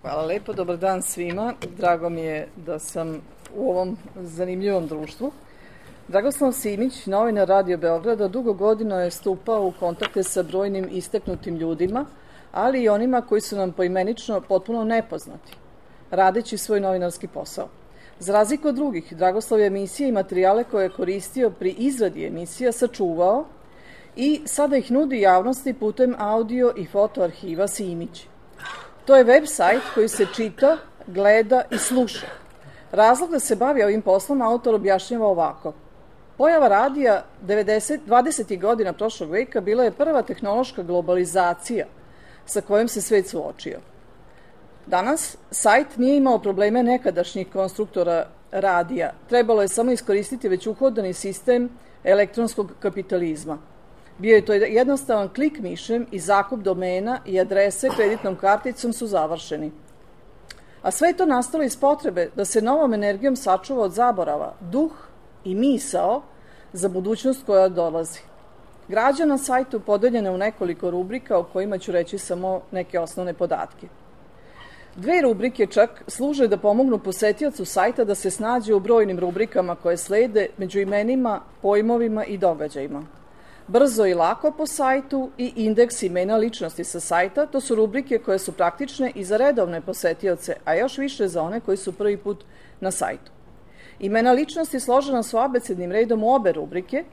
Hvala lepo, dobar dan svima. Drago mi je da sam u ovom zanimljivom društvu. Dragoslav Simić, novinar Radio Beograda, dugo godina je stupao u kontakte sa brojnim istaknutim ljudima, ali i onima koji su nam poimenično potpuno nepoznati, radeći svoj novinarski posao. Za razliku od drugih, Dragoslav je emisije i materijale koje je koristio pri izradi emisija sačuvao i sada ih nudi javnosti putem audio i foto arhiva Simić. To je web sajt koji se čita, gleda i sluša. Razlog da se bavi ovim poslom autor objašnjava ovako. Pojava radija 20. godina prošlog veka bila je prva tehnološka globalizacija sa kojom se svet suočio. Danas sajt nije imao probleme nekadašnjih konstruktora radija. Trebalo je samo iskoristiti već uhodani sistem elektronskog kapitalizma. Bio je to jednostavan klik mišem i zakup domena i adrese kreditnom karticom su završeni. A sve je to nastalo iz potrebe da se novom energijom sačuva od zaborava duh i misao za budućnost koja dolazi. Građa na sajtu podeljena u nekoliko rubrika o kojima ću reći samo neke osnovne podatke. 2 rubrike čak služe da pomognu posetiocu sajta da se snađe u brojnim rubrikama koje slede među imenima, pojmovima i događajima. Brzo i lako po sajtu i indeks imena ličnosti sa sajta, to su rubrike koje su praktične i za redovne posetioce, a još više za one koji su prvi put na sajtu. Imena ličnosti složena su abecednim redom u obe rubrike,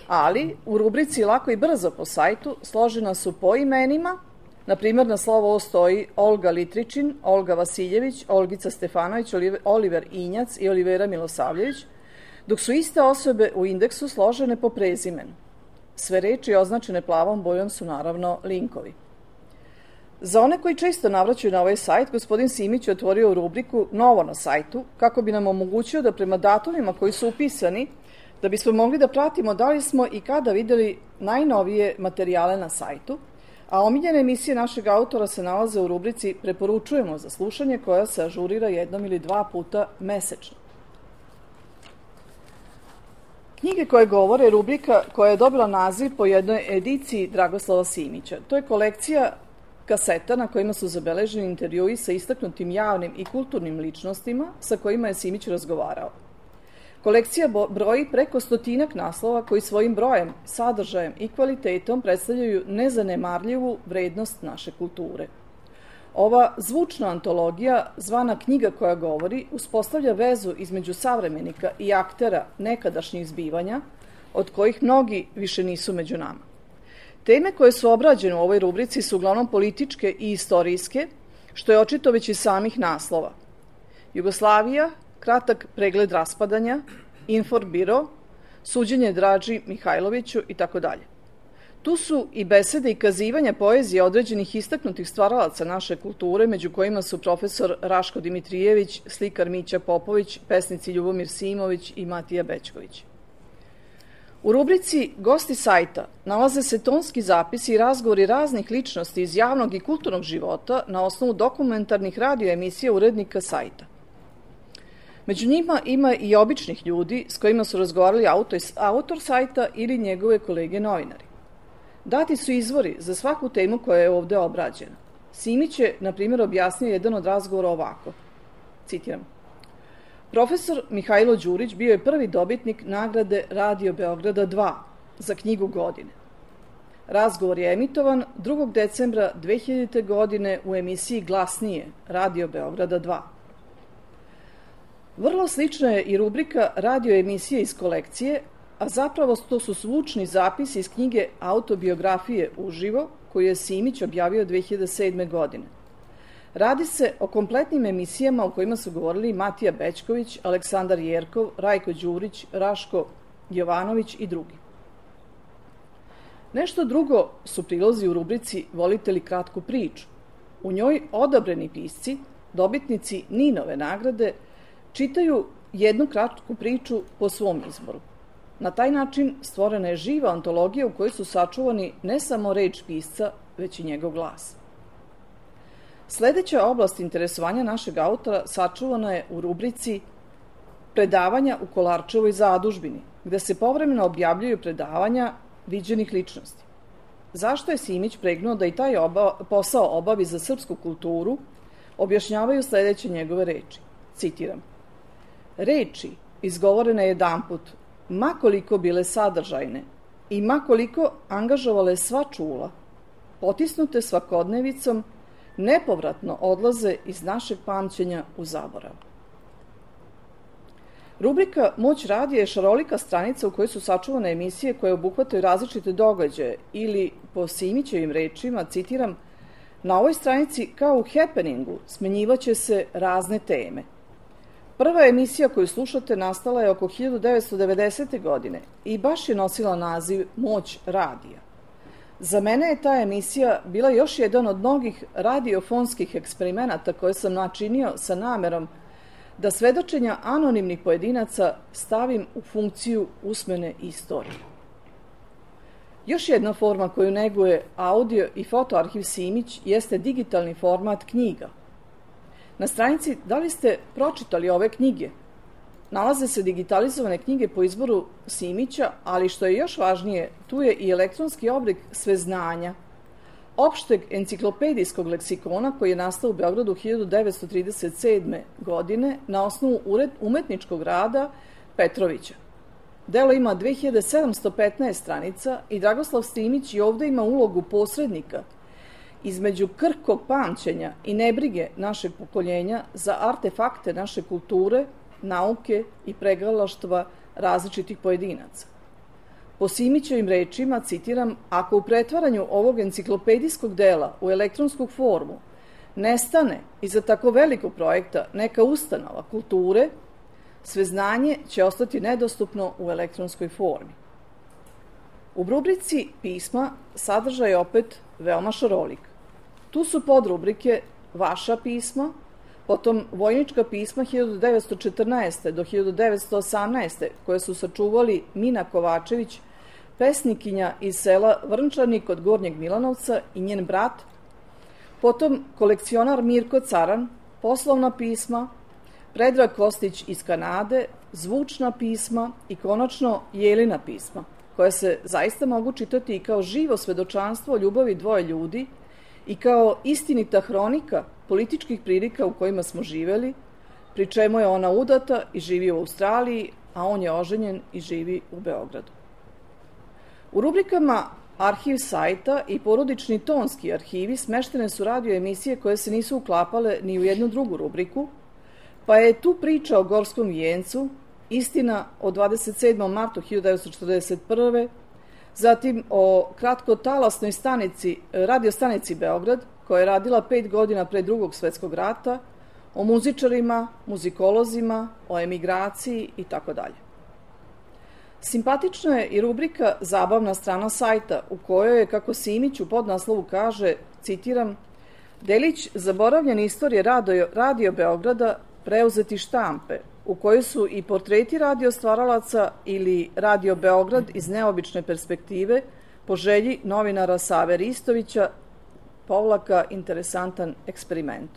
ali u rubrici lako i brzo po sajtu složena su po imenima, na primjer na slovo O stoji Olga Litričin, Olga Vasiljević, Olgica Stefanović, Oliver Injac i Olivera Milosavljević, dok su iste osobe u indeksu složene po prezimenu. Sve reči označene plavom bojom su naravno linkovi. Za one koji često navraćaju na ovaj sajt, gospodin Simić je otvorio rubriku Novo na sajtu, kako bi nam omogućio da prema datumima koji su upisani, da bismo mogli da pratimo da li smo i kada videli najnovije materijale na sajtu, a omiljene emisije našeg autora se nalaze u rubrici Preporučujemo za slušanje, koja se ažurira 1 ili 2 puta mesečno. Knjige koje govore je rubrika koja je dobila naziv po jednoj ediciji Dragoslava Simića. To je kolekcija kaseta na kojima su zabeleženi intervjui sa istaknutim javnim i kulturnim ličnostima sa kojima je Simić razgovarao. Kolekcija broji preko 100 naslova koji svojim brojem, sadržajem i kvalitetom predstavljaju nezanemarljivu vrednost naše kulture. Ova zvučna antologija, zvana Knjiga koja govori, uspostavlja vezu između savremenika i aktera nekadašnjih zbivanja, od kojih mnogi više nisu među nama. Teme koje su obrađene u ovoj rubrici su uglavnom političke i istorijske, što je očito već iz samih naslova. Jugoslavija, kratak pregled raspadanja, Inforbiro, suđenje Draži Mihajloviću itd. Tu su i besede i kazivanja poezije određenih istaknutih stvaralaca naše kulture, među kojima su profesor Raško Dimitrijević, slikar Mića Popović, pesnici Ljubomir Simović i Matija Bećković. U rubrici Gosti sajta nalaze se tonski zapisi i razgovori raznih ličnosti iz javnog i kulturnog života na osnovu dokumentarnih radio emisija urednika sajta. Među njima ima i običnih ljudi s kojima su razgovarali autor sajta ili njegove kolege novinari. Dati su izvori za svaku temu koja je ovde obrađena. Simić je, na primjer, objasnio jedan od razgovora ovako. Citiram. Profesor Mihajlo Đurić bio je prvi dobitnik nagrade Radio Beograda 2 za knjigu godine. Razgovor je emitovan 2. decembra 2000. godine u emisiji Glasnije Radio Beograda 2. Vrlo slična je i rubrika radio emisije iz kolekcije, a zapravo to su zvučni zapisi iz knjige Autobiografije uživo, koju je Simić objavio 2007. godine. Radi se o kompletnim emisijama u kojima su govorili Matija Bećković, Aleksandar Jerkov, Rajko Đurić, Raško Jovanović i drugi. Nešto drugo su prilozi u rubrici Volite li kratku priču? U njoj odabrani pisci, dobitnici Ninove nagrade, čitaju jednu kratku priču po svom izboru. Na taj način stvorena je živa antologija u kojoj su sačuvani ne samo reč pisca, već i njegov glas. Sledeća oblast interesovanja našeg autora sačuvana je u rubrici Predavanja u Kolarčevoj zadužbini, gde se povremeno objavljuju predavanja viđenih ličnosti. Zašto je Simić pregnuo da i taj posao obavi za srpsku kulturu, objašnjavaju sledeće njegove reči. Citiram: reči izgovorene jedanput, makoliko bile sadržajne i makoliko angažovale sva čula, potisnute svakodnevicom, nepovratno odlaze iz našeg pamćenja u zaborav. Rubrika Moć radija je šarolika stranica u kojoj su sačuvane emisije koje obuhvataju različite događaje ili, po Simićevim rečima, citiram, na ovoj stranici kao u happeningu smenjivaće se razne teme. Prva emisija koju slušate nastala je oko 1990. godine i baš je nosila naziv Moć radija. Za mene je ta emisija bila još jedan od mnogih radiofonskih eksperimenata koje sam načinio sa namerom da svedočenja anonimnih pojedinaca stavim u funkciju usmene istorije. Još jedna forma koju neguje audio i fotoarhiv Simić jeste digitalni format knjiga. Na stranici Da li ste pročitali ove knjige? Nalaze se digitalizovane knjige po izboru Simića, ali što je još važnije, tu je i elektronski oblik sveznanja, opšteg enciklopedijskog leksikona koji je nastao u Beogradu 1937. godine na osnovu umetničkog rada Petrovića. Delo ima 2715 stranica i Dragoslav Simić i ovde ima ulogu posrednika između krhkog pamćenja i nebrige našeg pokoljenja za artefakte naše kulture, nauke i pregalaštva različitih pojedinaca. Po Simićevim rečima, citiram, ako u pretvaranju ovog enciklopedijskog dela u elektronsku formu nestane iza tako velikog projekta neka ustanova kulture, sveznanje će ostati nedostupno u elektronskoj formi. U rubrici pisma sadržaj je opet veoma šarolik. Tu su podrubrike Vaša pisma, potom vojnička pisma 1914. do 1918. koje su sačuvali Mina Kovačević, pesnikinja iz sela Vrnčani kod Gornjeg Milanovca i njen brat, potom kolekcionar Mirko Caran, poslovna pisma, Predrag Kostić iz Kanade, zvučna pisma i konačno Jelina pisma, koja se zaista mogu čitati i kao živo svedočanstvo o ljubavi dvoje ljudi i kao istinita hronika političkih prilika u kojima smo živeli, pri čemu je ona udata i živi u Australiji, a on je oženjen i živi u Beogradu. U rubrikama Arhiv sajta i porodični tonski arhivi smeštene su radio emisije koje se nisu uklapale ni u jednu drugu rubriku, pa je tu priča o Gorskom vijencu, istina o 27. martu 1941. Zatim o kratkotalasnoj radiostanici Beograd, koja je radila 5 godina pre Drugog svetskog rata, o muzičarima, muzikolozima, o emigraciji itd. Simpatična je i rubrika Zabavna strana sajta, u kojoj je, kako Simić u podnaslovu kaže, citiram, delić zaboravljene istorije radio Beograda preuzeti štampe, u kojoj su i portreti radio stvaralaca ili Radio Beograd iz neobične perspektive po želji novinara Save Ristovića, interesantan eksperiment.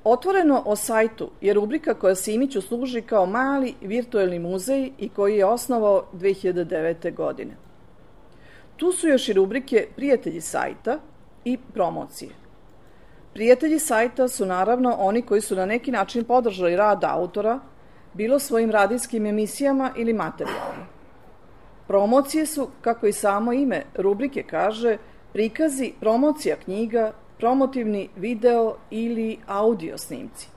Otvoreno o sajtu je rubrika koja Simiću služi kao mali virtuelni muzej i koji je osnovao 2009. godine. Tu su još i rubrike Prijatelji sajta i promocije. Prijatelji sajta su naravno oni koji su na neki način podržali rad autora, bilo svojim radijskim emisijama ili materijalno. Promocije su, kako i samo ime rubrike kaže, prikazi promocija knjiga, promotivni video ili audio snimci.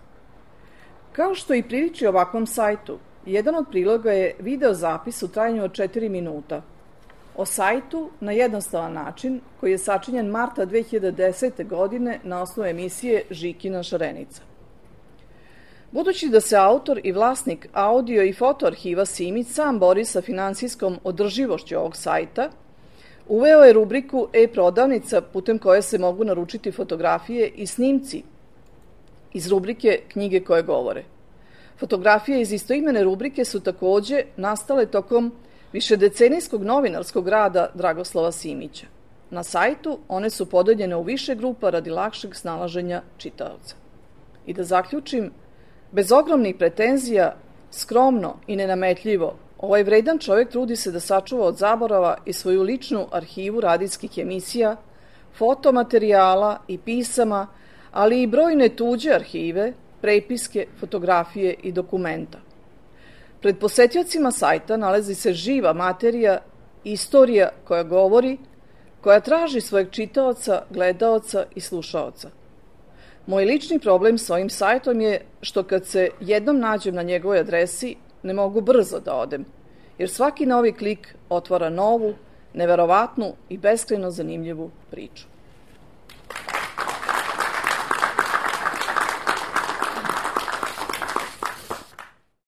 Kao što i priliči ovakvom sajtu, jedan od priloga je video zapis u trajanju od 4 minuta. O sajtu na jednostavan način koji je sačinjen marta 2010. godine na osnovu emisije Žikina šarenica. Budući da se autor i vlasnik audio i fotoarhiva Simić sam bori sa finansijskom održivošću ovog sajta, uveo je rubriku e-prodavnica putem koje se mogu naručiti fotografije i snimci iz rubrike Knjige koje govore. Fotografije iz istoimene rubrike su takođe nastale tokom višedecenijskog novinarskog rada Dragoslava Simića. Na sajtu one su podeljene u više grupa radi lakšeg snalaženja čitaoca. I da zaključim, bez ogromnih pretenzija, skromno i nenametljivo, ovaj vredan čovjek trudi se da sačuva od zaborava i svoju ličnu arhivu radijskih emisija, fotomaterijala i pisama, ali i brojne tuđe arhive, prepiske, fotografije i dokumenta. Pred posetiocima sajta nalazi se živa materija, istorija koja govori, koja traži svojeg čitaoca, gledaoca i slušaoca. Moj lični problem s ovim sajtom je što kad se jednom nađem na njegovoj adresi, ne mogu brzo da odem, jer svaki novi klik otvara novu, neverovatnu i beskrajno zanimljivu priču.